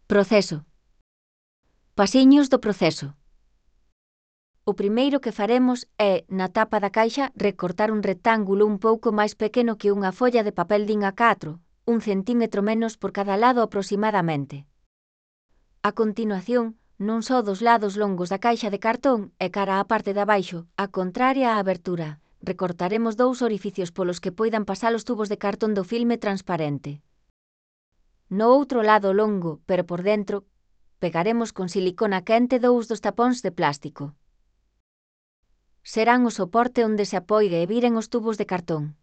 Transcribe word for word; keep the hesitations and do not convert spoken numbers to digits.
Proceso. Pasiños do proceso. O primeiro que faremos é, na tapa da caixa, recortar un rectángulo un pouco máis pequeno que unha folla de papel din A catro, un centímetro menos por cada lado aproximadamente. A continuación, non só dos lados longos da caixa de cartón e cara á parte de abaixo, a contraria á abertura, recortaremos dous orificios polos que poidan pasar os tubos de cartón do filme transparente. No outro lado longo, pero por dentro, pegaremos con silicona quente dous dos tapóns de plástico. Serán o soporte onde se apoie e viren os tubos de cartón.